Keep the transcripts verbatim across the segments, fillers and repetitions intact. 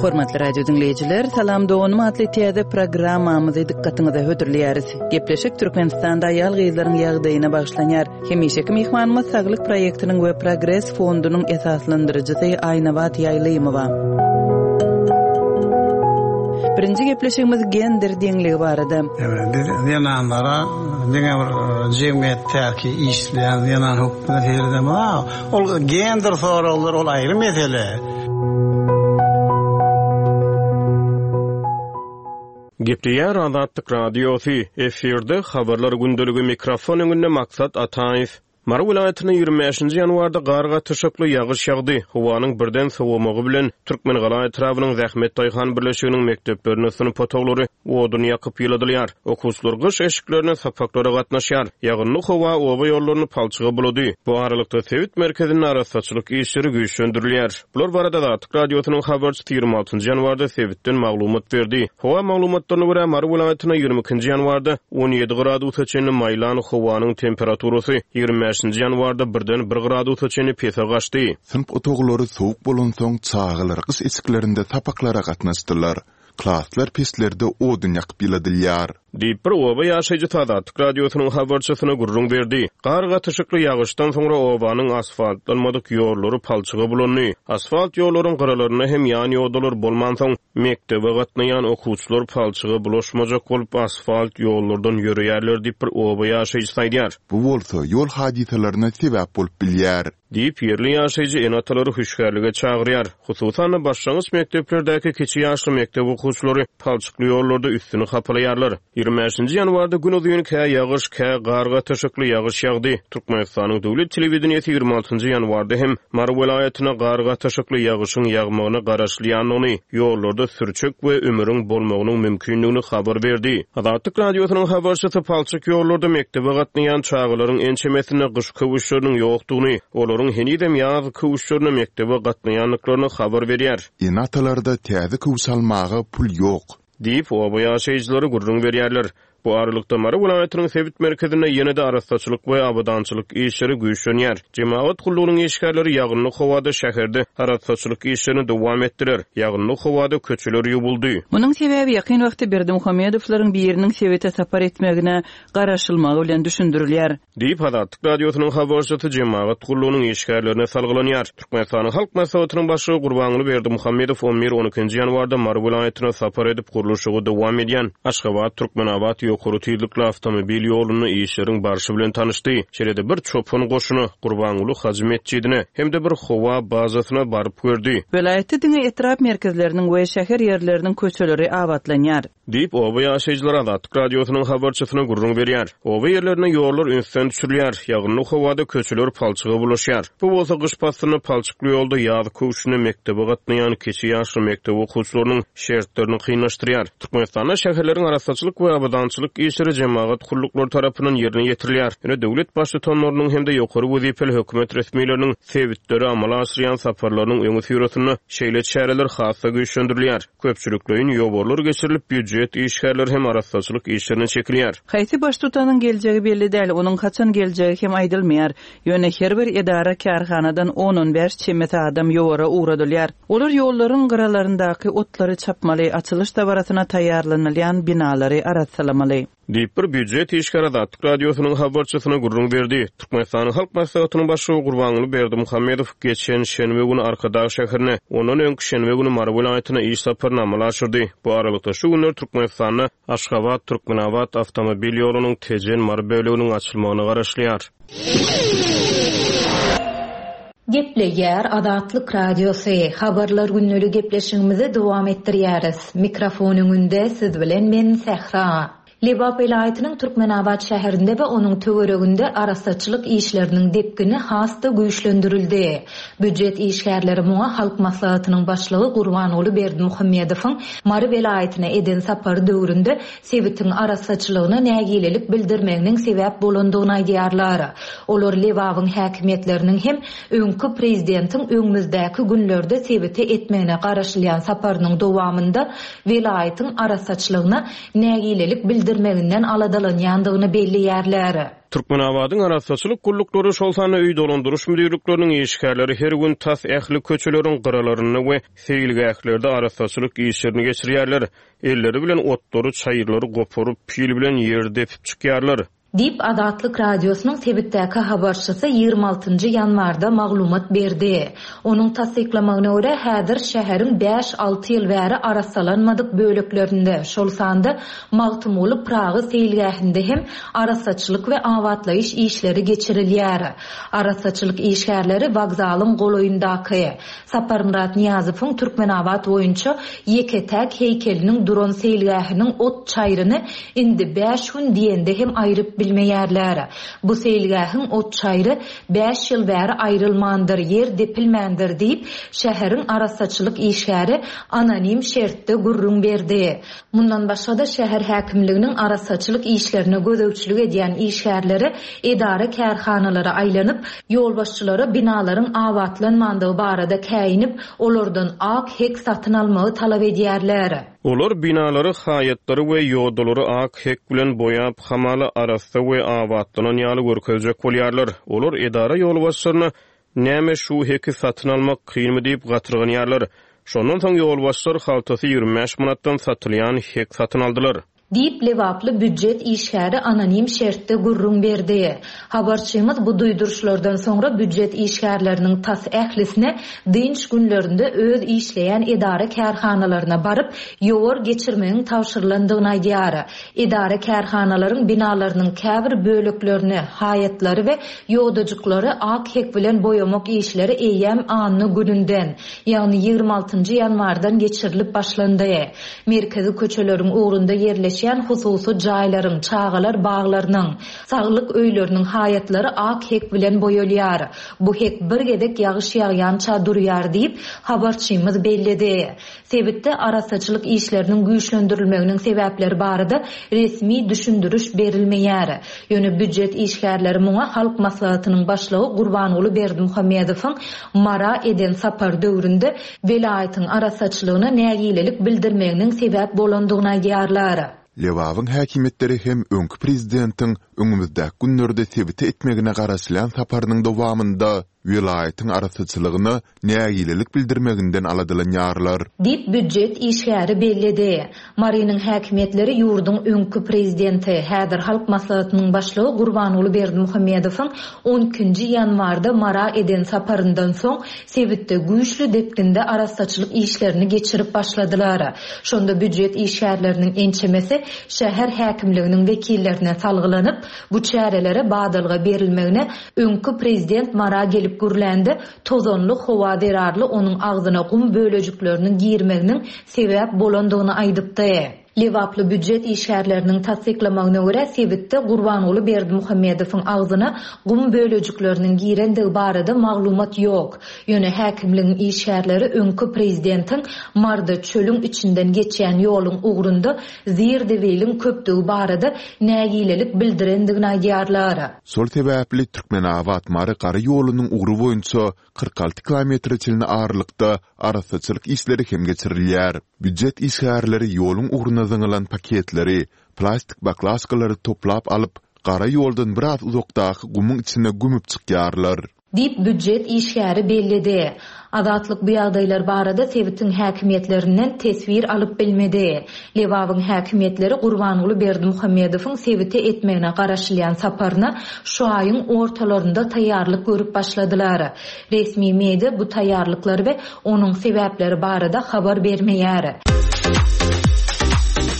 Hormatly radio diňleýjiler, Salam doganym atly täze programmamyzy dykgatyňyza hödürleýäris. Gepleşik Türkmenistanda aýal-gyzlaryň ýagdaýyna bagyşlanýar. Hemişeki myhmanymyz Saglyk proýektiniň we Progres fondunyň esaslandyryjysy Aýnabat Ýaýlymowa. Birinji gepleşigimiz gender deňligi barada. Evet, biz zenanlara diňe bir jemgyýetdäki işleýän zenan hökmünde seredemez. Ol gender soraglar ol aýry mesele. Gepleýär Azatlyk Radiosy, efirde habarlar gündeligi mikrofon öňünde Maksat Ataýew. Mary welaýatynda ýigrimi bäşinji ýanwarda gar gatyşykly ýagyş ýagdy. Howanyň birden sowamagy bilen Türkmengala etrabynyň Zähmet daýhan birleşiginiň mekdeplerinde synp otaglary odun ýakyp ýyladylýar. Okuwçylar gyş eşiklerine sapaklara gatnaşýar. Ýagynly howa oba ýollaryny palçyga bulady. Bu aralykda sebit merkezinde arassaçylyk işleri güýçlendirilýär. Bular barada Azatlyk Radiosynyň habarçysy ýigrimi altynjy ýanwarda sebitden maglumat berdi. Howa maglumatlaryna görä Mary welaýatynda ýigrimi ikinji ýanwarda on ýedi gradusa çenli maýlan howanyň temperaturasy ýigrimi bäşinji ýanwarda birden bir gradusa çenli pese gaçdy. Synp otaglary sowuk bolansoň çagalar gyş eşiklerinde sapaklara gatnaşdylar. Klaslar peslerde odun ýakyp ýyladylýar. Diýip bir oba ýaşaýjysy Azatlyk Radiosynyň habarçysyna gürrüň berdi. Gar gatyşykly ýagyşdan soňra obanyň asfaltlanmadyk ýollary palçyga bulandy. Asfalt ýollaryň gyralarynda hem ýan ýodalar bolmansoň mekdebe gatnaýan okuwçylar palçyga bulaşmajak bolup asfalt ýollardan ýörýärler diýip bir oba ýaşaýjysy aýdýar. Bu bolsa ýol hadysalaryna sebäp bolup bilýär. Diýip ýerli ýaşaýjy ene-atalary hüşgärlige çagyrýar. Hususan-da başlangyç mekdeplerdäki kiçi ýaşly mekdep okuwçylary palçykly ýollarda üstüni hapalaýarlar. Ýigrimi bäşinji ýanwarda gün uzyn kä ýagyş, kä gar gatyşykly ýagyş ýagdy. Türkmenistanyň döwlet telewideniýesi ýigrimi altynjy ýanwarda hem Mary welaýatyna gar gatyşykly ýagyşyň ýagmagyna garaşylýandygyny, ýollarda sürçek we ümüriň bolmagynyň mümkindigini habar berdi. Azatlyk Radiosynyň habarçysy palçyk ýollarda mekdebe gatnaýan çagalaryň ençemesinde gyş köwüşleriniň ýokdugyny, olaryň henizem ýaz köwüşlerine mekdebe gatnaýandyklaryny habar berýär. Ene-atalarda täze köwüş almaga pul ýok. Diýip oba ýaşaýjylary gürrüň berýärler. Bu aralykda Mary welaýatynyň sebit merkezinde ýene-de arassaçylyk we abadançylyk işleri güýçlenýär. Jemagat gullugynyň işgärleri ýagynly howada şäherde arassaçylyk işlerini dowam etdiler. Ýagynly howada köçeler ýuwuldy. Munuň sebäbi ýakyn wagtda Berdimuhamedowlaryň biriniň sebite sapar etmegine garaşylmagy bilen düşündirilýär. Diýip Azatlyk Radiosynyň habarçysy jemagat gullugynyň işgärlerine salgylanýar. Türkmenistanyň Halk Maslahatynyň başlygy Gurbanguly Berdimuhamedow on bir on ikinji ýanwarda Mary welaýatyna sapar edip gurluşygy dowam edýän Aşgabat Türkmenabat ýokary tizlikli awtomobil ýolunda işleriň barşy bilen tanyşdy. Şeýle-de bir çopan goşuna Gurbanguly Hajy metjidine hem-de bir howa bazasyna baryp gördi. Welaýatda diňe etrap merkezleriniň we şäher ýerleriniň köçeleri abatlanýar. Diýip oba ýaşaýjylary Azatlyk Radiosynyň habarçysyna gürrüň berýär. Oba ýerlerine ýollar ünsden düşürilýär. Ýagynly howada köçeler palçyga bulaşýar. Bu bolsa gyş paslynda palçykly ýolda ýaz köwşüne mekdebe gatnaýan kiçi ýaşly mekdep okuwçylarynyň şertlerini kynlaşdyrýar. Türkmenistanda şäherleriň arassaçylyk we abadançylyk işleri jemagat gulluklary tarapyndan ýerine ýetirilýär. Ýöne döwlet baştutanlarynyň hem-de ýokary wezipeli hökümet resmileriniň sebitleri amala aşyrýan saparlarynyň öňi syrasynda şeýle çäreler has-da güýçlendirilýär. Köpçülikleýin ýowarlar geçirilip, býujet işgärleri hem arassaçylyk işlerine çekilýär. Haýsy baştutanyň geljegi belli däl, onuň haçan geljegi hem aýdylmaýar. Ýöne her bir edara kärhanadan on-on bäş çemesi adam ýowara ugradylýar. Olar ýollaryň gyralaryndaky otlary çapmaly, açylyş dabarasyna taýýarlanylýan binalary arassalamaly. Diýip bir býujet işgäri Azatlyk Radiosynyň habarçysyna gürrüň berdi. Türkmenistanyň Halk Maslahatynyň başlygy Gurbanguly Berdimuhamedow geçen şenbe güni Arkadag şäherine, ondan öňki şenbe güni Mary welaýatyna iş saparyny amala aşyrdy. Bu aralykda şu günler Türkmenistanda Aşgabat Türkmenabat awtomobil ýolunyň Tejen Mary böleginiň açylmagyna garaşylýar. Gepleýär Azatlyk Radiosy. Habarlar günlügi gepleşigimizi dowam etdirýäris. Mikrofon öňünde siz bilen men Sähra. Lebap welaýatynyň Türkmenabat şäherinde we onuň töwereginde arassaçylyk işleriniň depgini has-da güýçlendirildi. Býujet işgärleri muňa Halk Maslahatynyň başlygy Gurbanguly Berdimuhamedowyň Mary welaýatyna eden sapary döwründe sebitiň arassaçylygyna nägilelik bildirmeginiň sebäp bolandygyny aýdýarlar. Olar Lebabyň häkimiýetleriniň hem öňki prezidentiň öňümizdäki günlerde sebite etmegine garaşylýan saparynyň dowamynda welaýatyň arassaçylygyna nägilelik bildirmeginiň bildirmeginden aladalanýandygyny belleýärler. Türkmenabadyň arassaçylyk gulluklary, şol sanda öý dolandyryş müdirlikleriniň işgärleri her gün tas ähli köçeleriň gyralarynda we seýilgählerde arassaçylyk işlerini geçirýärler. Elleri bilen otlary, çaýyrlary goparyp, pil bilen ýer depip çykýarlar. Diýip, Azatlyk Radiosynyň sebitdäki habarçysy ýigrimi altynjy ýanwarda maglumat berdi. Onuň tassyklamagyna görä, häzir şäheriň bäş-alty ýyl bäri arassalanmadyk böleklerinde, şol sanda Magtymguly Pyragy seýilgähinde hem arassaçylyk we abatlaýyş işleri geçirilýär. Arassaçylyk işgärleri wokzalyň golaýyndaky, Saparmyrat Nyýazowyň Türkmenabat boýunça ýeke-täk heýkeliniň duran seýilgähiniň ot çaýryny indi bäş gün diýende hem aýryp bilmeýärler. Bu seýilgähiň ot çaýry bäş ýyl bäri aýrylmandyr, ýer depilmändir diýip, şäheriň arassaçylyk işgäri anonim şertde gürrüň berdi. Mundan başga-da, şäher häkimliginiň arassaçylyk işlerine gözegçilik edýän işgärleri edara-kärhanalara aýlanyp, ýolbaşçylara binalaryň abatlanmandygy barada käýinip, olardan ak hek satyn almagy talap edýärler. Olar binalary, haýatlary we ýodalary ak hek bilen boýap, hamala arassa we abatlanan ýaly görkezjek bolýarlar. Olar edara ýolbaşçylaryna näme şu heki satyn almak kynmy diýip gatyrganýarlar. Şondan soň ýolbaşçylar haltasy ýigrimi bäş manatdan satylýan hek satyn aldylar. Diýip, lebaply býujet işgäri anonim şertde gürrüň berdi. Habarçymyz bu duýduryşlardan soňra býujet işgärleriniň tas ählisine dynç günlerinde öz işleýän edara-kärhanalaryna baryp, ýowar geçirmegiň tabşyrylandygyny aýdýar. Edara-kärhanalaryň binalarynyň käbir böleklerini, haýatlary we ýodajyklary ak hek bilen boýamak işleri eýýäm anna gününden, ýagny ýigrimi altynjy ýanwardan geçirilip başlandy. Merkezi köçeleriň ugrunda ýerleşýän hususy jaýlaryň, çagalar baglarynyň, saglyk öýleriniň haýatlary ak hek bilen boýalýar. Bu hek bir gezek ýagyş ýagýança durýar diýip, habarçymyz belledi. Sebitde arassaçylyk işleriniň güýçlendirilmeginiň sebäpleri barada resmi düşündiriş berilmeýär. Ýöne býujet işgärleri muňa Halk Maslahatynyň başlygy Gurbanguly Berdimuhamedowyň Mara eden sapar döwründe welaýatyň arassaçylygyna nägilelik bildirmeginiň sebäp bolandygyny aýdýarlar. Lebabyň häkimiýetleri hem öňki prezidentiň öňümizdäki günlerde sebite etmegine garaşylýan saparynyň dowamynda welaýatyň arassaçylygyna nägilelik bildirmeginden aladalanýarlar. Diýip, býujet işgäri belledi. Marynyň häkimiýetleri ýurduň öňki prezidenti, häzir Halk Maslahatynyň başlygy Gurbanguly Berdimuhamedowyň on ikinji ýanwarda Mara eden saparyndan soň sebitde güýçli depginde arassaçylyk işlerini geçirip başladylar. Şonda býujet işgärleriniň ençemesi şäher häkimliginiň wekillerine salgylanyp, bu çärelere badalga berilmegine öňki prezident Mara gelip gürlände tozanly howa zerarly onuň agzyna gum bölejikleriniň girmeginiň sebäp bolandygyny aýdypdy. Lebaply býujet işgärleriniň tassyklamagyna görä, sebitde Gurbanguly Berdimuhamedowyň agzyna gum bölejikleriniň girendigi barada maglumat ýok. Ýöne häkimligiň işgärleri öňki prezidentiň Marda çölüň içinden geçýän ýoluň ugrunda zir-zibiliň köpdügi barada nägilelik bildirendigini aýdýarlar. Şol sebäpli Türkmenabat-Mary gara ýolunyň ugry boýunça kyrk alty kilometre çenli aralykda arassaçylyk işleri hem geçirilýär. Býujet işgärleri ýoluň ugruna zyňylan paketleri, plastik baklaşkalary toplap alyp, gara ýoldan biraz uzakdaky gumuň içine gömüp çykýarlar. Diýip, býujet işgäri belledi. Azatlyk bu ýagdaýlar barada sebitiň häkimiýetlerinden teswir alyp bilmedi. Lebabyň häkimiýetleri Gurbanguly Berdimuhamedowyň sebite etmegine garaşylýan saparyna şu aýyň ortalarynda taýýarlyk görüp başladylar. Resmi media bu taýýarlyklar we onuň sebäpleri barada habar bermeýär.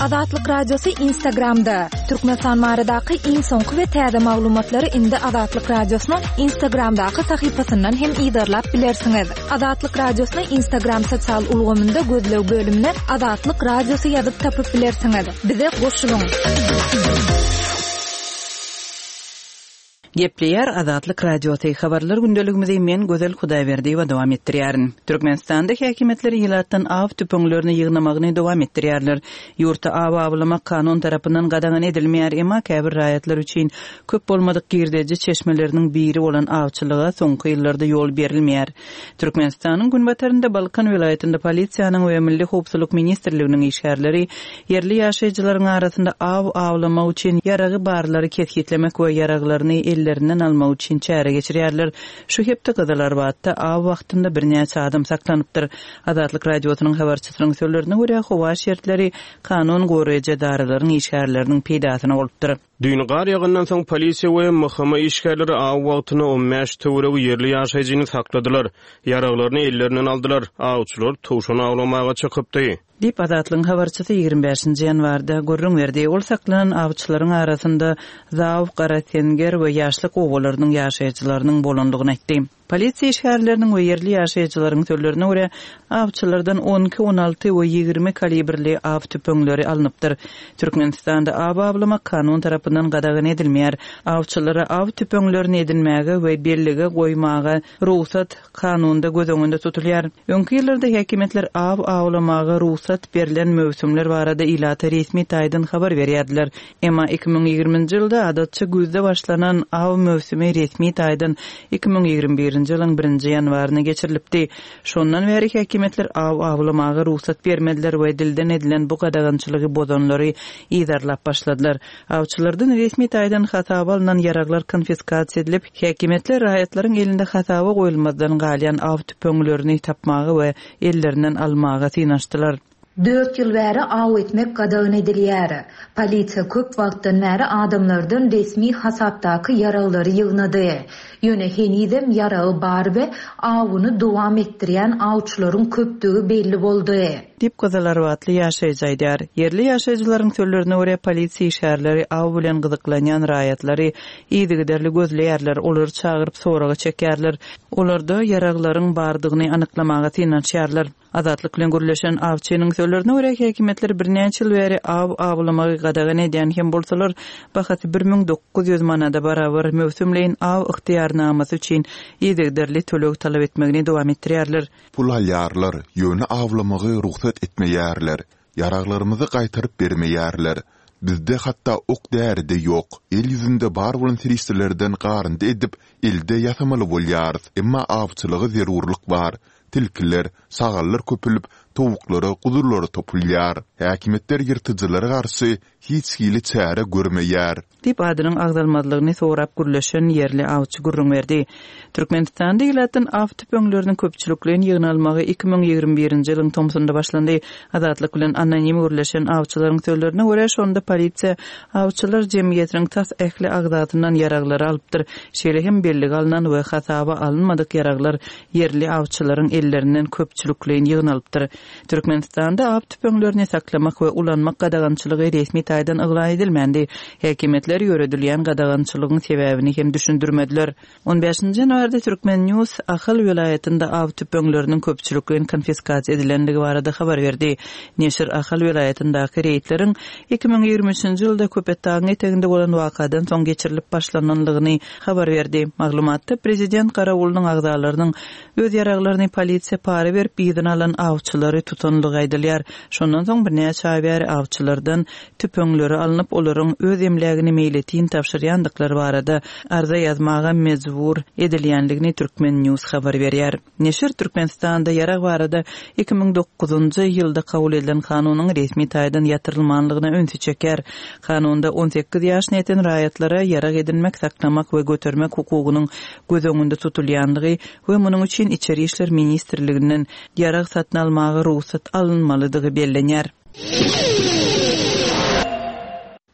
Azatlyk Radiosy Instagramda. Türkmenistan baradaky iň soňky we täze maglumatlary indi Azatlyk Radiosynyň Instagramdaky sahypasyndan hem yzarlap bilersiňiz. Azatlyk Radiosyny Instagram sosial ulgamynda gözleg bölümine Azatlyk Radiosy ýazyp tapyp bilersiňiz. Bize goşulyň. Gepleýär Azatlyk Radiosy habarlar gündeligimizi men Gözel Hudaýberdiýewa dowam etdirýärin. Türkmenistanda häkimiýetler ilatdan aw tüpeňlerini ýygnamagyny dowam etdirýärler. Ýurtda aw awlamak kanun tarapyndan gadagan edilmeýär, emma käbir raýatlar üçin köp bolmadyk girdeji çeşmeleriniň biri bolan awçylyga soňky ýyllarda ýol berilmeýär. Türkmenistanyň günbatarynda Balkan welaýatynda polisiýanyň we Milli howpsuzlyk ministrliginiň işgärleri ýerli ýaşaýjylaryň arasynda aw awlamak üçin ýaragy barlary kesgitlemek we ýaraglaryny ellerinden almak üçin çäre geçirýärler. Şu hepde Gyzylarbatda aw wagtynda birnäçe adam saklanypdyr. Azatlyk Radiosynyň habarçysynyň sözlerine görä, howa şertleri kanun goraýjy edaralaryň işgärleriniň peýdasyna bolupdyr. Düýn gar ýagyndan soň polisiýa we M H M işgärleri aw wagtynda on bäş töweregi ýerli ýaşaýjyny sakladylar. Ýaraglaryny ellerinden aldylar. Awçylar towşan awlamaga çykypdy. Diýip Azatlygyň habarçysy ýigrimi bäşinji ýanwarda gürrüň berdi. Ol saklanan awçylaryň arasynda Zaw, Garasenger we Ýaşlyk obalarynyň ýaşaýjylarynyň bolandygyny aýtdy. Polisiýa işgärleriniň we ýerli ýaşaýjylaryň sözlerine görä, awçylardan on iki, on alty we ýigrimi kalibrli aw tüpeňleri alnypdyr. Türkmenistanda aw awlamak kanun tarapyndan gadagan edilmeýär. Awçylara aw tüpeňlerini edinmäge we bellige goýmaga rugsat kanunda göz öňünde tutulýar. Öňki ýyllarda häkimiýetler aw awlamaga rugsat berlen möwsümler barada ilata resmi taýdan habar berýärdiler. Emma iki müň ýigriminji ýylda adatça güýzde başlanan aw möwsümi resmi taýdan iki müň ýigrimi birinji ýylyň birinji ýanwaryna geçirilipdi. Şondan bäri häkimiýetler aw awlamaga rugsat bermediler we dilden edilen bu gadagançylygy bozanlary yzarlap başladylar. Awçylardan resmi taýdan hasaba alynan ýaraglar konfiskasiýa edilip, häkimiýetler raýatlaryň elinde hasaba goýulmazdan galýan aw tüpeňlerini tapmaga we ellerinden almaga synanyşdylar. Dört ýyl bäri aw etmek gadagan edilýär. Polisiýa köp wagtdan bäri adamlardan resmi hasapdaky ýaraglary ýygnady. Ýöne henizem ýaragy bar we awuny dowam etdirýän awçylaryň köpdügi belli boldy. Diýip Gyzylarbatly ýaşaýjy aýdýar. Ýerli ýaşaýjylaryň sözlerine görä polisiýa işgärleri aw bilen gyzyklanýan raýatlary yzygiderli gözleýärler, olary çagyryp soraga çekýärler. Olarda ýaraglaryň bardygyny anyklamaga synanyşýarlar. Azatlyk bilen gürleşen awçynyň sözlerine görä häkimiýetler birnäçe ýyl bäri aw awlamagy gadagan edýän hem bolsalar, bahasy bir müň dokuz ýüz manada barabar möwsümleýin aw ygtyýarnamasy üçin yzygiderli töleg talap etmegini dowam etdirýärler. Pul alýarlar, ýöne awlamagy rugsat etmeýärler. Ýaraglarymyzy gaýtaryp bermeýärler. Bizde hatda ok däri-de ýok. El ýüzünde bar bolan serişdelerden garyndy edip, elde ýasamaly bolýarys. Emma awçylyga zerurlyk bar. Tilkiler, şagallar köpülip, towuklara, guzulara topulýar. Häkimiýetler ýyrtyjylara garşy hiç hili çäre görmeýär. Diýip adynyň agzalmazlygyny sorap gürleşen ýerli awçy gürrüň berdi. Türkmenistanda ilatdan aw tüpeňleriniň köpçülikleýin ýygnalmagy iki müň ýigrimi birinji ýylyň tomsunda başlandy. Azatlyk bilen anonim gürleşen awçylaryň sözlerine görä, şonda polisiýa awçylar jemgyýetiniň tas ähli agzasyndan ýaraglary alypdyr. Şeýle hem bellige alynan we hasaba alynmadyk ýaraglar ýerli awçylaryň ellerinden köpçülikleýin ýygnalypdyr. Türkmenistanda aw tüpeňlerini saklamak we ulanmak gadagançylygy resmi taýdan yglan edilmändi. Häkimiýetler ýöredilýän gadagançylygyň sebäbini hem düşündirmediler. On bäşinji ýanwarda Türkmen News Ahal welaýatynda aw tüpeňleriniň köpçülikleýin konfiskasiýa edilendigi barada habar berdi. Neşir Ahal welaýatyndaky reýdleriň iki müň ýigrimi üçünji ýylda Köpetdagyň eteginde bolan wakadan soň geçirilip başlananlygyny habar berdi. Maglumatda prezident Garawulynyň agzalarynyň öz ýaraglaryny polisiýa para berip ýygyna alan awçylary tutanlygy aýdylýar. Şondan soň birnäçe aý bäri awçylardan tüpeňleri alnyp, olaryň öz emlägini meýletin tabşyrýandyklary barada arza ýazmaga mejbur edilýänligini Türkmen News habar berýär. Neşir Türkmenistanda ýarag barada iki müň dokuzynjy ýylda kabul edilen kanunyň resmi taýdan ýatyrylmanlygyna ünsi çeker. Kanunda on sekiz ýaşyna ýeten raýatlara ýarag edinmek, saklamak we götermek hukugynyň göz öňünde tutulýanlygy we munuň üçin Içeri İşler Ministrliginden ýarag satyn almaga rugsat alynmalydygy bellenýär.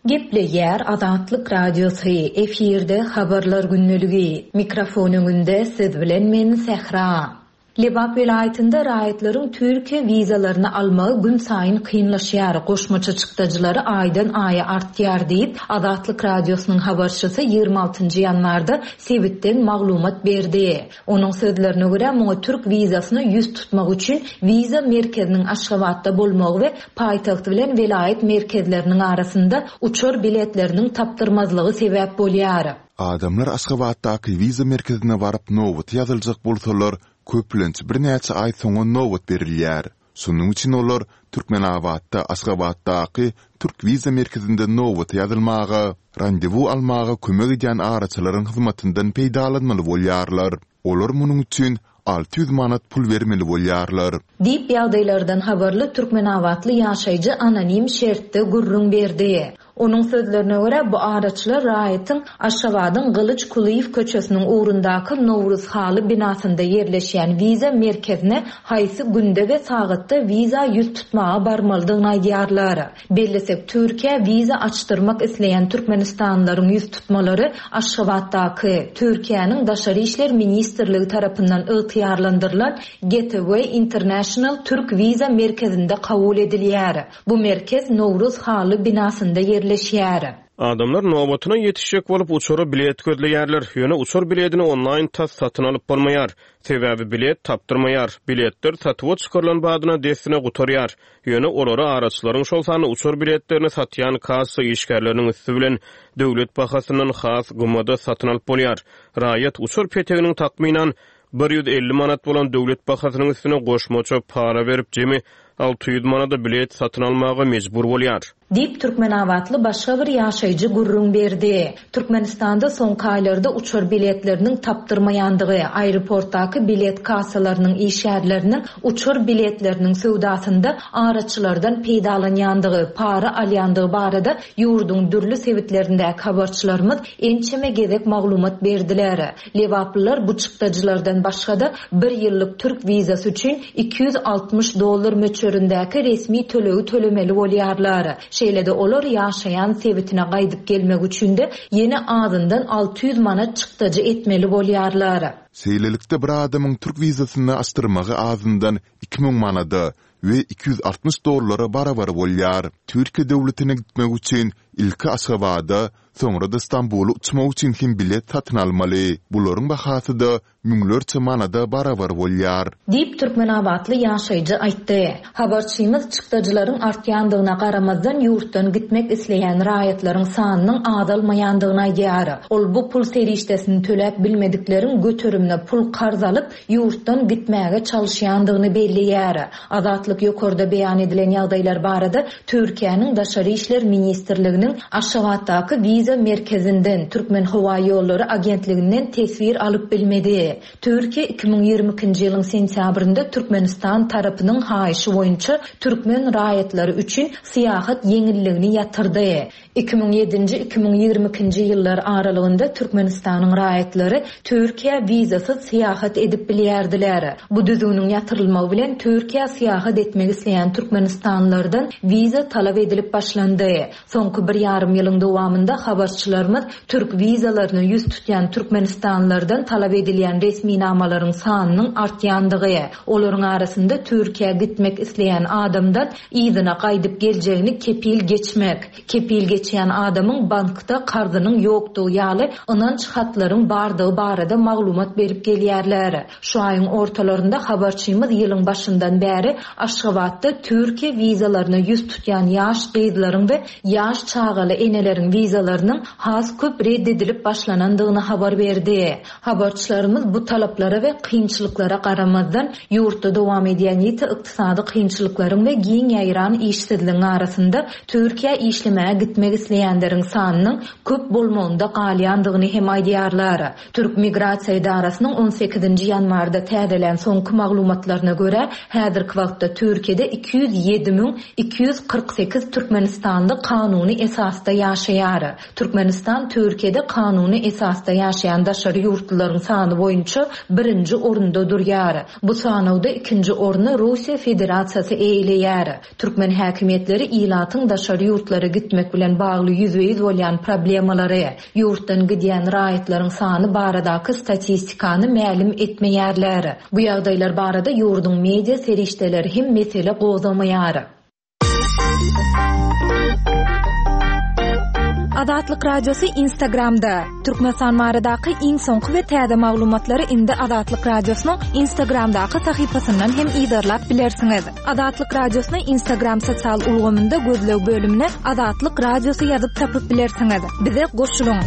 Gepleýär Azatlyk Radiosy, efirde habarlar gündeligi. Mikrofon öňünde siz bilen men Sähra. Lebap welaýatynda raýatlaryň Türkiýe wizalaryny almagy günsaýyn kynlaşýar, goşmaça çykdajylary aýdan aýa artýar diýip, Azatlyk Radiosynyň habarçysy ýigrimi altynjy ýanwarda sebitden maglumat berdi. Onuň sözlerine görä, muňa türk wizasyna ýüz tutmak üçin wiza merkeziniň Aşgabatda bolmagy we paýtagt bilen welaýat merkezleriniň arasynda uçar biletleriniň tapdyrmazlygy sebäp bolýar. Adamlar Aşgabatdaky wiza merkezine baryp nobata ýazyljak bolsalar, köplenç birnäçe aý soňa nobat berilýär. Şonuň üçin olar Türkmenabatda Aşgabatdaky türk wiza merkezinde nobata ýazylmaga, randewu almaga kömek edýän araçylaryň hyzmatyndan peýdalanmaly bolýarlar. Olar munuň üçin alty ýüz manat pul bermeli bolýarlar. Diýip, ýagdaýlardan habarly türkmenabatly ýaşaýjy anonim şertde gürrüň berdi. Onuň sözlerine görä, bu araçylar raýatyň Aşgabadyň Gylyç Kulyýew köçesiniň ugrundaky Nowruz haly binasynda ýerleşýän wiza merkezine haýsy günde we sagatda wiza ýüz tutmaga barmalydygyny aýdýarlar. Bellesek, Türkiýä wiza açdyrmak isleýän türkmenistanlylaryň ýüz tutmalary Aşgabatdaky, Türkiýäniň Daşary işler ministrligi tarapyndan ygtyýarlandyrylan Gateway International Türk wiza merkezinde kabul edilýär. Bu merkez Nowruz haly binasynda ýerleşýär. Adamlar nobatyna ýetişjek bolup uçara bilet gözleýärler. Ýöne uçar biletini onlaýn tas satyn alyp bolmaýar. Sebäbi bilet tapdyrmaýar. Biletler satuwa çykarylan badyna dessine gutarýar. Ýöne olary araçylaryň, şol sanda uçar biletlerini satýan kassa işgärleriniň üsti bilen döwlet bahasyndan has gymmada satyn alyp bolýar. Raýat uçar peteginiň takmynan bir ýüz elli manat bolan döwlet bahasynyň üstüne goşmaça para berip, jemi alty ýüz manada bilet satyn almaga mejbur bolýar. Diýip, türkmenabatly başga bir ýaşaýjy gürrüň berdi. Türkmenistanda soňky aýlarda uçar biletleriniň tapdyrmaýandygy, aeroportdaky bilet kassalarynyň işgärleriniň uçar biletleriniň söwdasynda araçylardan peýdalanýandygy, para alýandygy barada ýurduň dürli sebitlerindäki habarçylarymyz ençeme gezek maglumat berdiler. Lebaplylar bu çykdajylardan başga-da bir ýyllyk türk wizasy üçin iki ýüz altmyş dollar möçberindäki resmi tölegi tölemeli bolýarlar. Şeýle-de olar ýaşaýan sebitine gaýdyp gelmek üçin-de ýene azyndan alty ýüz manat çykdajy etmeli bolýarlar. Şeýlelikde bir adamyň türk wizasyny açdyrmagy azyndan iki müň manada we iki ýüz altmyş dollara barabar bolýar. Türkiýe döwletine gitmek üçin ilki Aşgabada, soňra-da Stambula uçmak üçin hem bilet satyn almaly. Bularyň bahasy-da müňlerçe manada barabar bolýar. Diýip, türkmenabatly ýaşaýjy aýtdy. Habarçymyz çykdajylaryň artýandygyna garamazdan ýurtdan gitmek isleýän raýatlaryň sanynyň azalmaýandygyny aýdýar. Ol bu pul serişdesini töläp bilmedikleriň göterimine pul karz alyp, ýurtdan gitmäge çalyşýandygyny belleýär. Azatlyk ýokarda beýan edilen ýagdaýlar barada Türkiýäniň Daşary işler ministrliginiň Aşgabatdaky wiza merkezinden, Türkmen howa ýollary agentliginden teswir alyp bilmedi. Türkiýe iki müň ýigrimi ikinji ýylyň sentýabrynda Türkmenistan tarapynyň haýyşy boýunça türkmen raýatlary üçin syýahat ýeňilligini ýatyrdy. Iki müň ýedinji, iki müň ýigrimi ikinji ýyllar aralygynda Türkmenistanyň raýatlary Türkiýä wizasyz syýahat edip bilýärdiler. Bu düzgüniň ýatyrylmagy bilen Türkiýä syýahat etmek isleýän türkmenistanlylardan wiza talap edilip başlandy. Soňky bir ýarym ýylyň dowamynda habarçylarymyz türk wizalaryna ýüz tutýan türkmenistanlylardan talap edilýän resminamalaryň sanynyň artýandygy, olaryň arasynda Türkiýä gitmek isleýän adamdan yzyna gaýdyp geljegini kepil geçmek, kepil geçýän adamyň bankda karzynyň ýokdugy ýaly ynanç hatlaryň bardygy barada maglumat berip gelýärler. Şu aýyň ortalarynda habarçymyz ýylyň başyndan bäri Aşgabatda Türkiýe wizalaryna ýüz tutýan ýaş gyzlaryň we ýaş çagaly eneleriň wizalarynyň has köp red edilip başlanandygyny habar berdi. Habarçylarymyz bu talaplara we kynçylyklara garamazdan ýurtda dowam edýän ýiti ykdysady kynçylyklaryň we giň ýaýran işsizligiň arasynda Türkiýä işlemäge gitmek isleýänleriň sanynyň köp bolmagynda galýandygyny hem aýdýarlar. Türk Migrasiýa edarasynyň on sekizinji ýanwarda täzelän soňky maglumatlaryna görä, häzirki wagtda Türkiýede iki ýüz ýedi müň iki ýüz kyrk sekiz türkmenistanly kanuny esasda ýaşaýar. Türkmenistan Türkiýede kanuny esasda ýaşaýan daşary ýurtlularyň sany boýunça boýunça birinji orunda durýar. Bu sanawda ikinji orny Russiýa Federasiýasy eýeleýär. Türkmen häkimiýetleri ilatyň daşary ýurtlara gitmek bilen bagly ýüzbe-ýüz bolýan problemalary, ýurtdan gidýän raýatlaryň sany baradaky statistikany mälim etmeýärler. Bu ýagdaýlar barada ýurduň media serişdeleri hem mesele gozamaýar. Azatlyk Radiosy Instagramda. Türkmenistan baradaky iň soňky we täze maglumatlary indi Azatlyk Radiosynyň Instagramdaky sahypasyndan hem yzarlap bilersiňiz. Azatlyk Radiosyny Instagram sosial ulgamynda gözleg bölümine Azatlyk Radiosy ýazyp tapyp bilersiňiz. Bize goşulyň.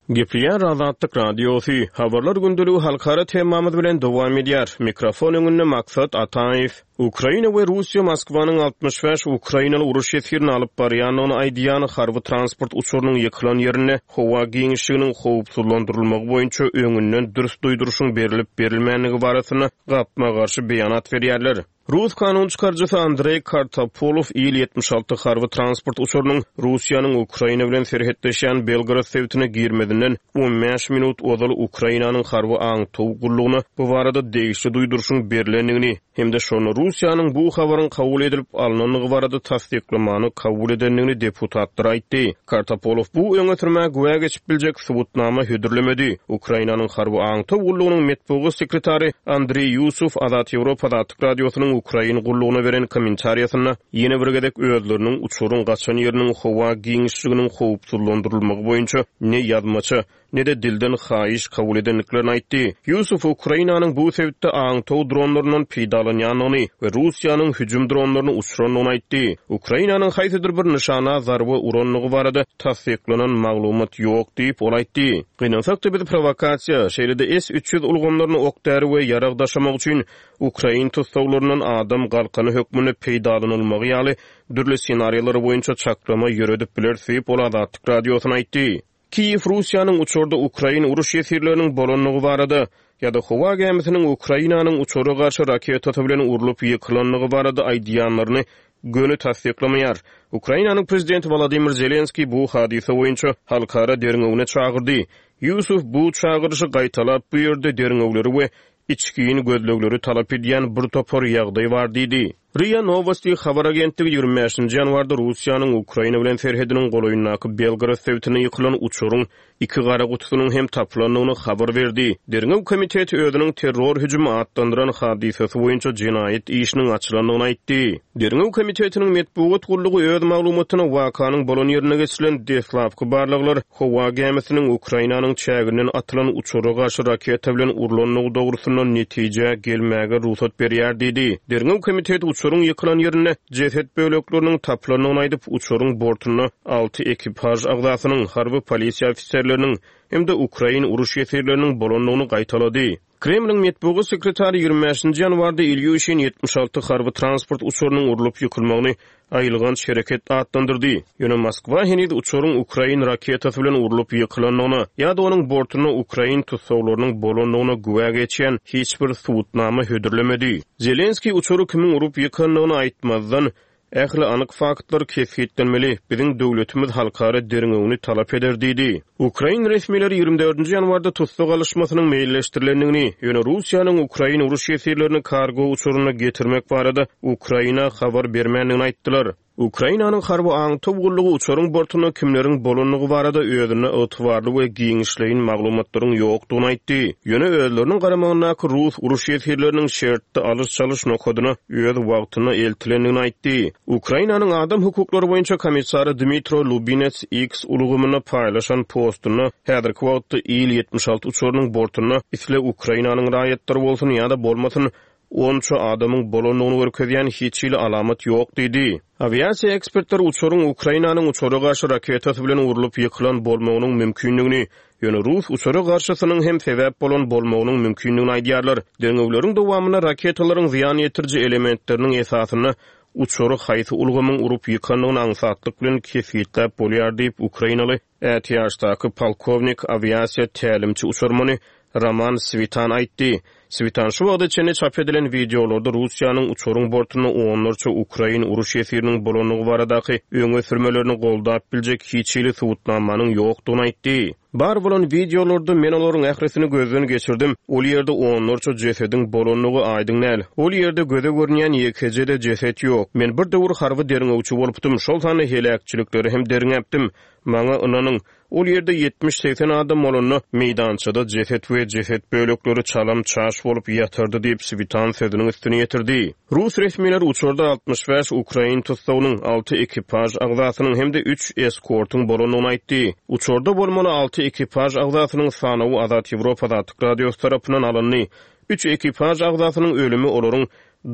Gepleýär Azatlyk Radiosy. Habarlar gündeligi halkara temamyz bilen dowam edýär. Mikrofon öňünde Maksat Ataýew. Ukraina we Russiýa Moskwanyň altmyş bäş Ukrainaly uruş ýesgirini alyp barýandygyny aýdýan harby transport uçarynyň ýykylan ýerinde howa giňişliginiň howpsuzlandyrylmagy boýunça öňünden dürs duýduryşyň berilip berilmänligi barasynda gapma-garşy beýanat berýärler. Rus kanun çykaryjysy Andrey Kartapolov Il ýetmiş alty harby transport uçarynyň Russiýanyň Ukraina bilen serhetleşýän Belgorod sebitine girmezinden on bäş minut ozal Ukrainanyň harby aňtaw gullugyna bu barada degişli duýduryşyň berilendigini hem-de şonda Russiýanyň bu habaryň kabul edilip alynandygy barada tassyklamany kabul edendigini deputatlar aýtdy. Kartapolov bu öňe sürmä güwä geçip biljek subutnama hödürlemedi. Ukrainanyň harby aňtaw gullugynyň metbugat sekretary Andrey Yusuf Azat Ýewropa Azatlyk Radiosynyň Ukrain gullugyna beren kommentariýasynda ýene bir gezek özleriniň uçaryň gaçan ýeriniň howa giňişliginiň howpsuzlandyrylmagy boýunça ne ýazmaça ne de dilden haýyş kabul edendiklerini aýtdy. Yusuf Ukrainanyň bu sebitde aňtaw dronlaryndan peýdalanýandygyny we Russiýanyň hüjüm dronlaryny uçurandygyny aýtdy. Ukrainanyň haýsydyr bir nyşana zarba urandygy barada tassyklanan maglumat ýok diýip ol aýtdy. Gynansak-da biz provokasiýa, şeýle-de S üç ýüz ulgamlaryny ok-däri we ýarag daşamak üçin Ukrain tussaglaryndan adam galkany hökmünde peýdalanylmagy ýaly dürli senariýalary boýunça çaklama ýöredip biler diýip ol Azatlyk Radiosyna aýtdy. Kiýew Russiýanyň uçarda Ukrain uruş ýesirleriniň bolandygy barada ýa-da howa gämisiniň Ukrainanyň uçara garşy raketasy bilen urlup ýykylandygy barada aýdýanlaryny göni tassyklamaýar. Ukrainanyň prezidenti Volodymyr Zelenskiý bu hadysa boýunça halkara derňewine çagyrdy. Yusuf bu çagyryşy gaýtalap bu ýerde derňewleri we içkiýin gözlegleri talap edýän bir topar ýagdaý bar diýdi. R I A Novosti habar agentligi ýigrimi bäşinji ýanwarda Russiýanyň Ukraina bilen serhediniň golaýyndaky Belgorod sebitine ýykylan uçaryň iki gara gutusynyň hem tapylandygyny habar berdi. Derňew komiteti özüniň terror hüjümi atlandyran hadysasy boýunça jenaýat işiniň açylandygyny aýtdy. Derňew komitetiniň metbugat gullugy öz maglumatyna wakanyň bolan ýerine geçirilen deslapky barlaglar howa gämisiniň Ukrainanyň çäginden atylan uçara garşy raketa bilen urlandygy dogrusynda netije gelmäge rugsat berýär diýdi. Derňew komiteti uçaryň ýykylan ýerinde jeset bölekleriniň tapylandygyny aýdyp, uçaryň bortunda alty ekipaž agzasynyň, harby polisiýa ofiserleriniň hem-de Ukrain uruş ýesirleriniň bolandygyny gaýtalady. Kremliň metbugat sekretary ýigrimi bäşinji ýanwarda Ilýushin ýetmiş alty harby transport uçarynyň urlup ýykylmagyny aýylganç hereket atlandyrdy. Ýöne Moskwa heniz uçaryň Ukrain raketasy bilen urlup ýykylandygyna ýa-da onuň bortunda Ukrain tussaglarynyň bolandygyna güwä geçýän hiç bir subutnama hödürlemedi. Zelenskiý uçary kimiň urup ýykandygyny aýtmazdan, ähli anyk faktlar kesgitlenmeli, biziň döwletimiz halkara derňewini talap eder diýdi. Ukrain resmileri ýigrimi dördünji ýanwarda tussag alyşmasynyň meýilleşdirilendigini, ýöne Russiýanyň Ukrain uruş ýesirlerini kargo uçaryna getirmek barada Ukraina habar bermändigini aýtdylar. Ukrainanyň harby aňtaw gullugy uçaryň bortunda kimleriň bolandygy barada özünde ygtybarly we giňişleýin maglumatlaryň ýokdugyny aýtdy. Ýöne özleriniň garamagyndaky rus uruş ýesirleriniň şertli alyş-çalyş nokadyna öz wagtynda eltilendigini aýtdy. Ukrainanyň adam hukuklary boýunça komissary Dmitro Lubinets X ulgamynda paýlaşan postunda häzirki wagtda Il ýetmiş alty uçarynyň bortunda isle Ukrainanyň raýatlary bolsun ýa-da bolmasyn onça adamyň bolandygyny görkezýän hiç hili alamat ýok diýdi. Awiasiýa ekspertleri uçaryň Ukrainanyň uçara garşy raketasy bilen urlup ýykylan bolmagynyň mümkindigini, ýöne rus uçara garşysynyň hem sebäp bolan bolmagynyň mümkindigini aýdýarlar. Derňewleriň dowamynda raketalaryň zyýan ýetiriji elementleriniň esasynda uçary haýsy ulgamyň urup ýykandygyny aňsatlyk bilen kesgitläp bolýar diýip Ukrainaly ätiýaçdaky polkownik awiasiýa tälimçi uçarmany Roman Switan aýtdy. Switan şu wagta çenli çap edilen wideolarda Russiýanyň uçaryň bortunda onlarça ukrain uruş ýesiriniň bolandygy baradaky öňe sürmelerini goldap biljek hiç hili subutnamanyň ýokdugyny aýtdy. Bar bolan wideolarda men olaryň ählisini gözden geçirdim. Ol ýerde onlarça jesediň bolandygy aýdyň däl. Ol ýerde göze görünýän ýekeje-de jeset ýok. Men bir döwür harby derňewçi bolupdym, şol sanda heläkçilikleri hem derňäpdim. Maňa ynanyň, ol ýerde ýetmiş-segsen adam bolanda, meýdançada jeset we jeset bölekleri çalam-çaş bolup ýatardy diýip, Switan sözüniň üstüni ýetirdi. Rus resmileri uçarda altmyş bäş ukrain tussagynyň, alty ekipaž agzasynyň hem-de üç eskortyň bolandygyny aýtdy. Uçarda bolmaly alty ekipaž agzasynyň sanawy Azat Ýewropa Azatlyk Radiosy tarapyndan alyndy. Üç ekipaž agzasynyň ölümi olaryň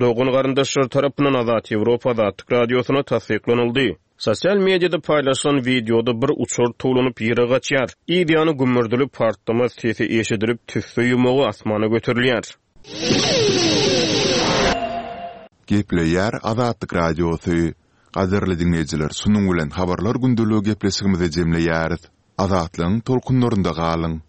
dogan-garyndaşlary tarapyndan Azat Ýewropa Azatlyk Radiosyna tassyklanyldy. Sosial mediada paýlaşylan wideoda bir uçar towlanyp ýere gaçýar. Yz ýany gümmürdili partlama sesi eşidilip, tüsse ýumagy asmana göterilýär. Gepleýär Azatlyk Radiosy. Gadyrly diňleýjiler, şunuň bilen Habarlar gündeligi gepleşigimizi jemleýäris. Azatlygyň tolkunlarynda galyň!